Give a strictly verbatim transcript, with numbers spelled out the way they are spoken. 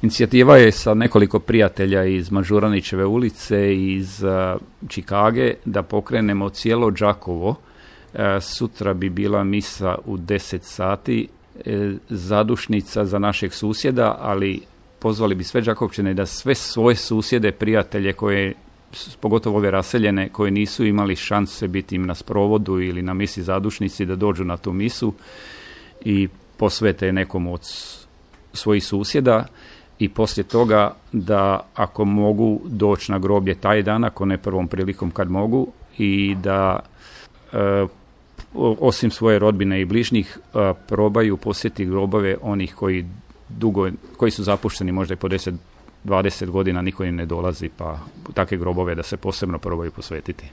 Inicijativa je sa nekoliko prijatelja iz Mažuranićeve ulice, iz uh, Čikage, da pokrenemo cijelo Đakovo. Uh, sutra bi bila misa u deset sati, uh, zadušnica za našeg susjeda, ali pozvali bi sve Đakovčane da sve svoje susjede, prijatelje koje, pogotovo ove raseljene, koje nisu imali šanse biti im na sprovodu ili na misi zadušnici, da dođu na tu misu i posvete nekom od svojih susjeda. I poslije toga da ako mogu doći na groblje taj dan, ako ne prvom prilikom kad mogu, i da e, osim svoje rodbine i bližnjih e, probaju posjetiti grobove onih koji dugo, koji su zapušteni možda i po deset dvadeset godina, niko im ne dolazi, pa takve grobove da se posebno probaju posvetiti.